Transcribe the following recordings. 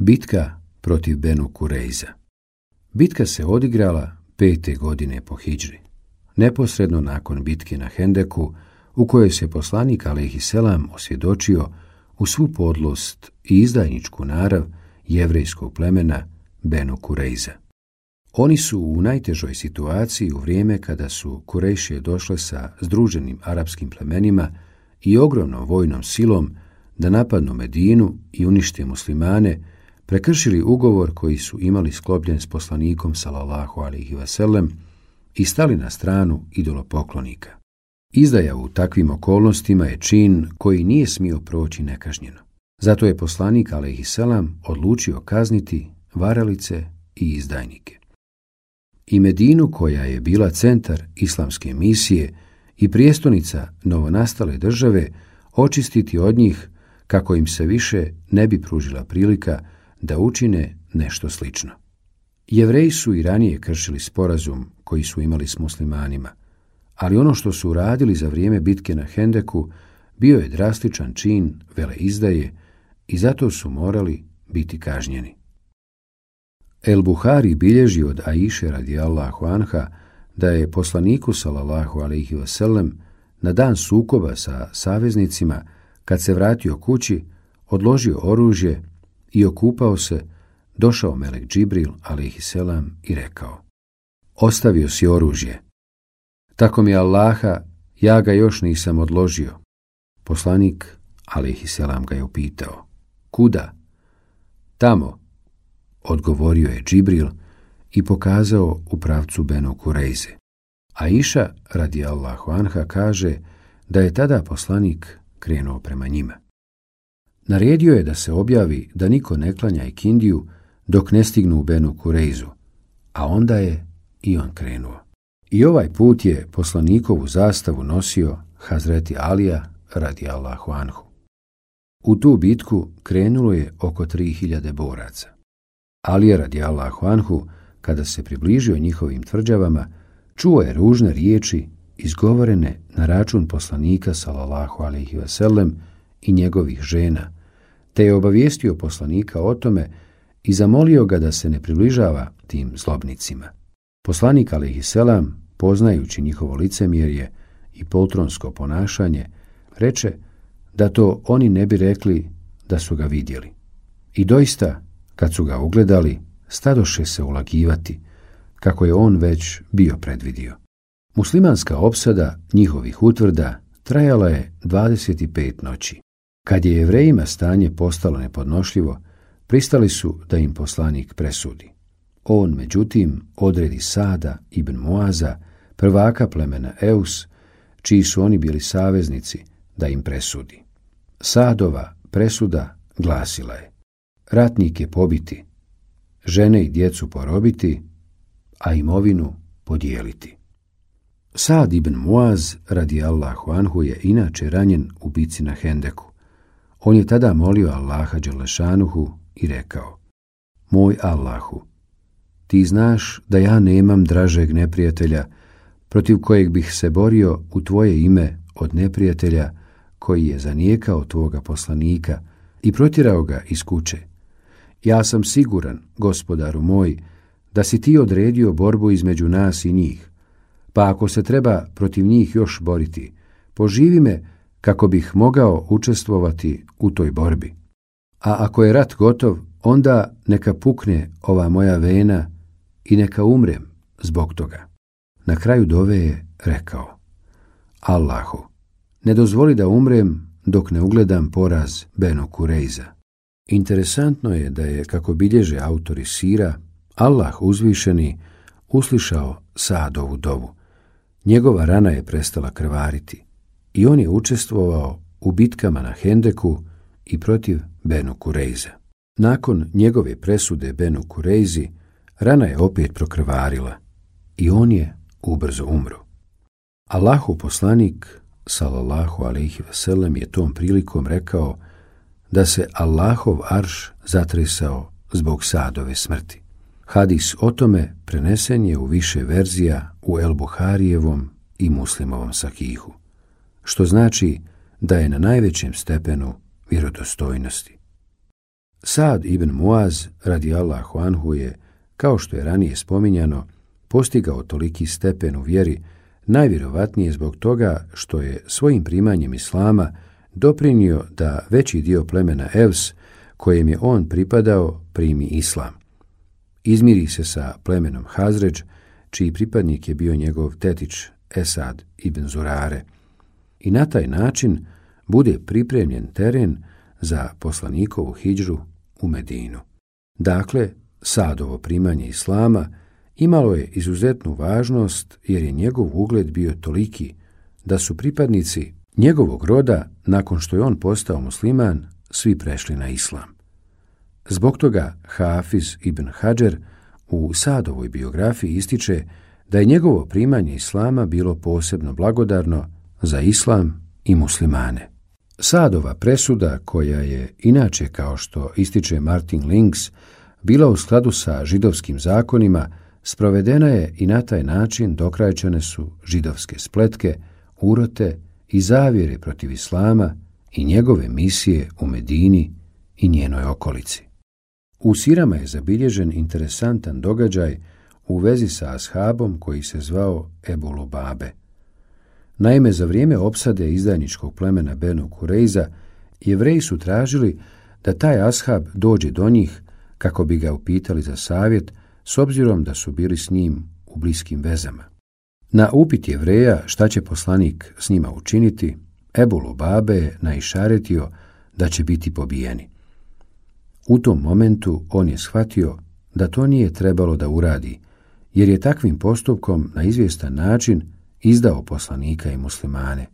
Bitka protiv Benu Kurejza. Bitka se odigrala 5. godine po hidžri, neposredno nakon bitke na Hendeku, u kojoj se poslanik alejhiselam osvjedočio u svu podlost i izdajničku narav jevrejskog plemena Benu Kurejza. Oni su u najtežoj situaciji u vrijeme kada su Kurejšije došle sa združenim arapskim plemenima i ogromnom vojnom silom da napadnu Medinu i unište muslimane, prekršili ugovor koji su imali sklopljen s poslanikom sallallahu alejhi ve sellem i stali na stranu idolopoklonika. Izdaja u takvim okolnostima je čin koji nije smio proći nekažnjeno. Zato je poslanik alejhiselam odlučio kazniti varalice i izdajnike. I Medinu, koja je bila centar islamske misije i prijestolnica novonastale države, očistiti od njih kako im se više ne bi pružila prilika da učine nešto slično. Jevreji su i ranije kršili sporazum koji su imali s muslimanima, ali ono što su uradili za vrijeme bitke na Hendeku bio je drastičan čin veleizdaje i zato su morali biti kažnjeni. El Buhari bilježi od Aiše radijallahu anha da je poslaniku sallallahu alejhi ve sellem na dan sukoba sa saveznicima, kad se vratio kući, odložio oružje i okupao se, došao melek Džibril alejhiselam i rekao: ostavio si oružje. Tako mi Allaha, ja ga još nisam odložio. Poslanik alejhiselam ga je upitao: kuda? Tamo, odgovorio je Džibril i pokazao u pravcu Benu Kurejze. Aiša radijallahu anha kaže da je tada poslanik krenuo prema njima. Naredio je da se objavi da niko ne klanja ikindiju dok ne stignu u Benu Kurejzu, a onda je i on krenuo. I ovaj put je poslanikovu zastavu nosio Hazreti Alija radijallahu anhu. U tu bitku krenulo je oko 3000 boraca. Alija radijallahu anhu, kada se približio njihovim tvrđavama, čuo je ružne riječi izgovorene na račun poslanika sallallahu alejhi ve sellem i njegovih žena, te je obavijestio poslanika o tome i zamolio ga da se ne približava tim zlobnicima. Poslanik alejhiselam, poznajući njihovo licemjerje i poltronsko ponašanje, reče da to oni ne bi rekli da su ga vidjeli. I doista, kad su ga ugledali, stadoše se ulagivati, kako je on već bio predvidio. Muslimanska opsada njihovih utvrda trajala je 25 noći. Kad je Jevrejima stanje postalo nepodnošljivo, pristali su da im poslanik presudi. On, međutim, odredi Sada ibn Muaza, prvaka plemena Eus, čiji su oni bili saveznici, da im presudi. Sadova presuda glasila je: ratnike pobiti, žene i djecu porobiti, a imovinu podijeliti. Sad ibn Muaz radijallahu anhu je inače ranjen u bici na Hendeku. On je tada molio Allaha dželešanuhu i rekao: moj Allahu, ti znaš da ja nemam dražeg neprijatelja protiv kojeg bih se borio u tvoje ime od neprijatelja koji je zanijekao tvoga poslanika i protjerao ga iz kuće. Ja sam siguran, gospodaru moj, da si ti odredio borbu između nas i njih, pa ako se treba protiv njih još boriti, poživi me kako bih mogao učestvovati u toj borbi. A ako je rat gotov, onda neka pukne ova moja vena i neka umrem zbog toga. Na kraju dove je rekao: Allahu, ne dozvoli da umrem dok ne ugledam poraz Benu Kurejza. Interesantno je da je, kako bilježe autori sira, Allah uzvišeni uslišao Saadovu dovu. Njegova rana je prestala krvariti i on je učestvovao u bitkama na Hendeku i protiv Benu Kurejza. Nakon njegove presude Benu Kurejzi, rana je opet prokrvarila i on je ubrzo umro. Allahu poslanik sallallahu alejhi ve sellem je tom prilikom rekao da se Allahov arš zatresao zbog Saadove smrti. Hadis o tome prenesen je u više verzija u El Buharijevom i Muslimovom sahihu, što znači da je na najvećem stepenu vjerodostojnosti. Sad ibn Muaz radijallahu anhu je, kao što je ranije spominjano, postigao toliki stepen u vjeri, najvjerovatnije zbog toga što je svojim primanjem islama doprinio da veći dio plemena Evs, kojem je on pripadao, primi islam. Izmiri se sa plemenom Hazređ, čiji pripadnik je bio njegov tetić Esad ibn Zurare, i na taj način bude pripremljen teren za poslanikovu hidžru u Medinu. Dakle, Sadovo primanje islama imalo je izuzetnu važnost jer je njegov ugled bio toliki da su pripadnici njegovog roda, nakon što je on postao musliman, svi prešli na islam. Zbog toga Hafiz ibn Hadžer u Sadovoj biografiji ističe da je njegovo primanje islama bilo posebno blagodarno za islam i muslimane. Sadova presuda, koja je inače, kao što ističe Martin Links, bila u skladu sa židovskim zakonima, sprovedena je i na taj način dokrajčane su židovske spletke, urote i zavjere protiv islama i njegove misije u Medini i njenoj okolici. U sirama je zabilježen interesantan događaj u vezi sa ashabom koji se zvao Ebu Lubabe. Naime, za vrijeme opsade izdajničkog plemena Benu Kurejza, Jevreji su tražili da taj ashab dođe do njih kako bi ga upitali za savjet, s obzirom da su bili s njim u bliskim vezama. Na upit Jevreja šta će poslanik s njima učiniti, Ebu Lubabe je naišaretio da će biti pobijeni. U tom momentu on je shvatio da to nije trebalo da uradi, jer je takvim postupkom na izvjestan način izdao poslanika i muslimane.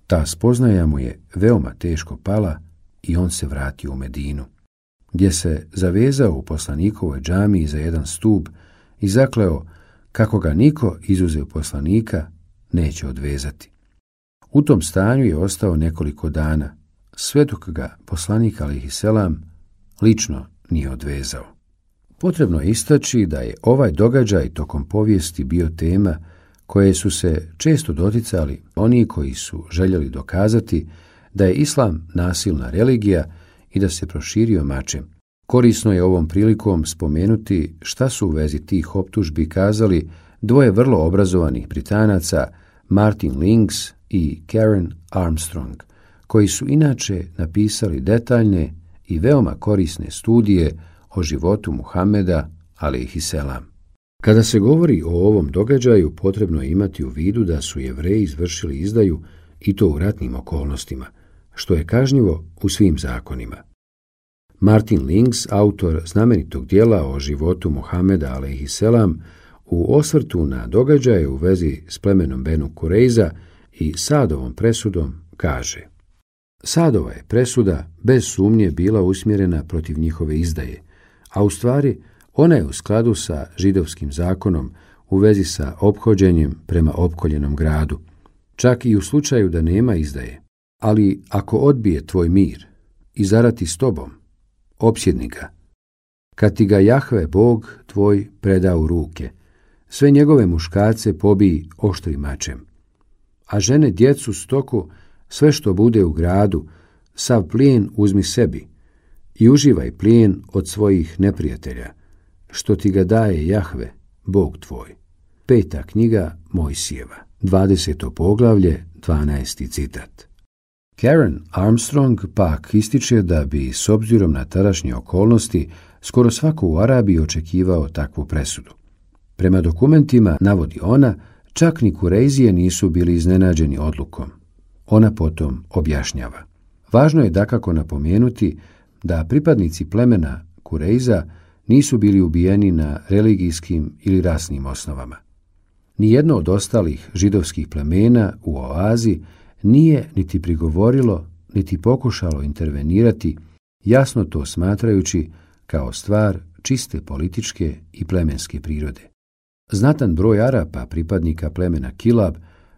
Ta spoznaja mu je veoma teško pala i on se vratio u Medinu, gdje se zavezao u poslanikovoj džamiji za jedan stup i zakleo kako ga niko, izuzev poslanika, neće odvezati. U tom stanju je ostao nekoliko dana, sve dok ga poslanik alejhiselam lično nije odvezao. Potrebno je istaći da je ovaj događaj tokom povijesti bio tema koje su se često doticali oni koji su željeli dokazati da je islam nasilna religija i da se proširio mačem. Korisno je ovom prilikom spomenuti šta su u vezi tih optužbi kazali dvoje vrlo obrazovanih Britanaca, Martin Links i Karen Armstrong, koji su inače napisali detaljne i veoma korisne studije o životu Muhameda alejhiselam. Kada se govori o ovom događaju, potrebno je imati u vidu da su Jevreji izvršili izdaju i to u ratnim okolnostima, što je kažnjivo u svim zakonima. Martin Links, autor znamenitog dijela o životu Muhameda alejhiselam, u osvrtu na događaje u vezi s plemenom Benu Kurejza i Sadovom presudom kaže: Sadova je presuda bez sumnje bila usmjerena protiv njihove izdaje, a u stvari ona je u skladu sa židovskim zakonom u vezi sa ophođenjem prema opkoljenom gradu, čak i u slučaju da nema izdaje. Ali ako odbije tvoj mir i zarati s tobom, opsjedni ga. Kad ti ga Jahve Bog tvoj preda u ruke, sve njegove muškarce pobij oštrim mačem, a žene, djecu, stoku, sve što bude u gradu, sav plijen uzmi sebi i uživaj plijen od svojih neprijatelja, što ti ga daje Jahve, Bog tvoj. 5. knjiga Mojsijeva, 20. poglavlje, 12. citat. Karen Armstrong pak ističe da bi, s obzirom na tadašnje okolnosti, skoro svako u Arabiji očekivao takvu presudu. Prema dokumentima, navodi ona, čak ni Kurejzije nisu bili iznenađeni odlukom. Ona potom objašnjava: važno je dakako napomenuti da pripadnici plemena Kurejza nisu bili ubijeni na religijskim ili rasnim osnovama. Nijedno od ostalih židovskih plemena u oazi nije niti prigovorilo, niti pokušalo intervenirati, jasno to smatrajući kao stvar čiste političke i plemenske prirode. Znatan broj Arapa, pripadnika plemena Kilab,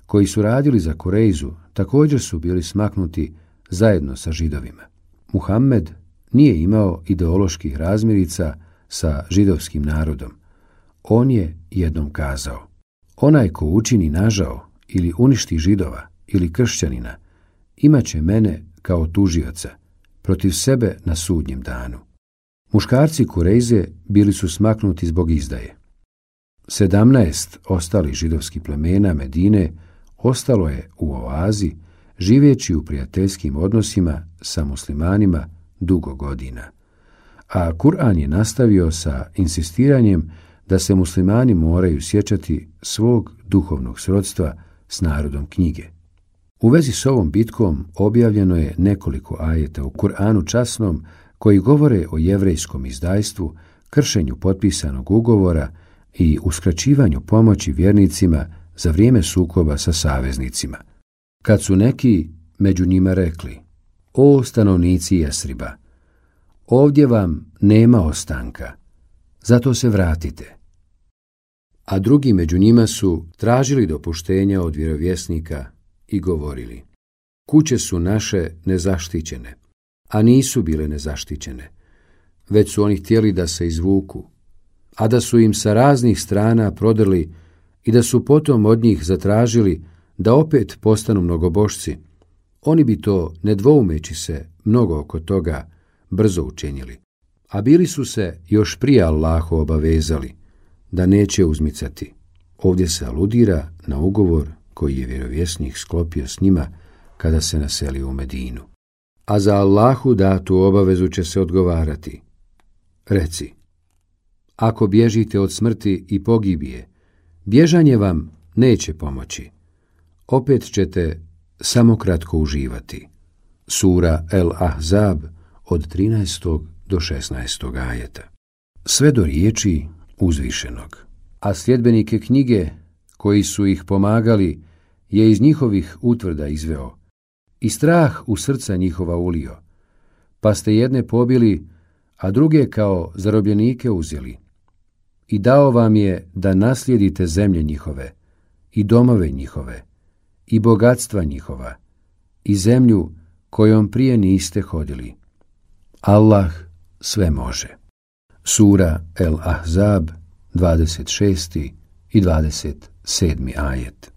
koji su radili za Kurejzu, također su bili smaknuti zajedno sa Židovima. Muhammed nije imao ideoloških razmirica sa židovskim narodom. On je jednom kazao: onaj ko učini nažao ili uništi Židova ili kršćanina, imaće mene kao tužioca protiv sebe na sudnjem danu. Muškarci Kurejze bili su smaknuti zbog izdaje. 17 ostalih židovskih plemena Medine ostalo je u oazi, živeći u prijateljskim odnosima sa muslimanima dugo godina. A Kur'an je nastavio sa insistiranjem da se muslimani moraju sjećati svog duhovnog srodstva s narodom knjige. U vezi s ovom bitkom objavljeno je nekoliko ajeta u Kur'anu časnom koji govore o jevrejskom izdajstvu, kršenju potpisanog ugovora i uskraćivanju pomoći vjernicima za vrijeme sukoba sa saveznicima. Kad su neki među njima rekli: O stanovnici Jesriba, ovdje vam nema ostanka, zato se vratite. A drugi među njima su tražili dopuštenja od vjerovjesnika i govorili: Kuće su naše nezaštićene, a nisu bile nezaštićene, već su oni htjeli da se izvuku, a da su im sa raznih strana prodrli i da su potom od njih zatražili da opet postanu mnogobošci, oni bi to, ne dvoumeći se mnogo oko toga, brzo učinili. A bili su se još prije Allahu obavezali da neće uzmicati. Ovdje se aludira na ugovor koji je vjerovjesnik sklopio s njima kada se naselio u Medinu. A za Allahu datu obavezu će se odgovarati. Reci: Ako bježite od smrti i pogibije, bježanje vam neće pomoći. Opet ćete samo kratko uživati. Sura El Ahzab od 13. do 16. ajeta. Sve do riječi uzvišenog. A sljedbenike knjige, koji su ih pomagali, je iz njihovih utvrda izveo i strah u srca njihova ulio, pa ste jedne pobili, a druge kao zarobljenike uzeli. I dao vam je da naslijedite zemlje njihove, i domove njihove, i bogatstva njihova, i zemlju kojom prije niste hodili. Allah sve može. Sura El Ahzab, 26. i 27. ajet.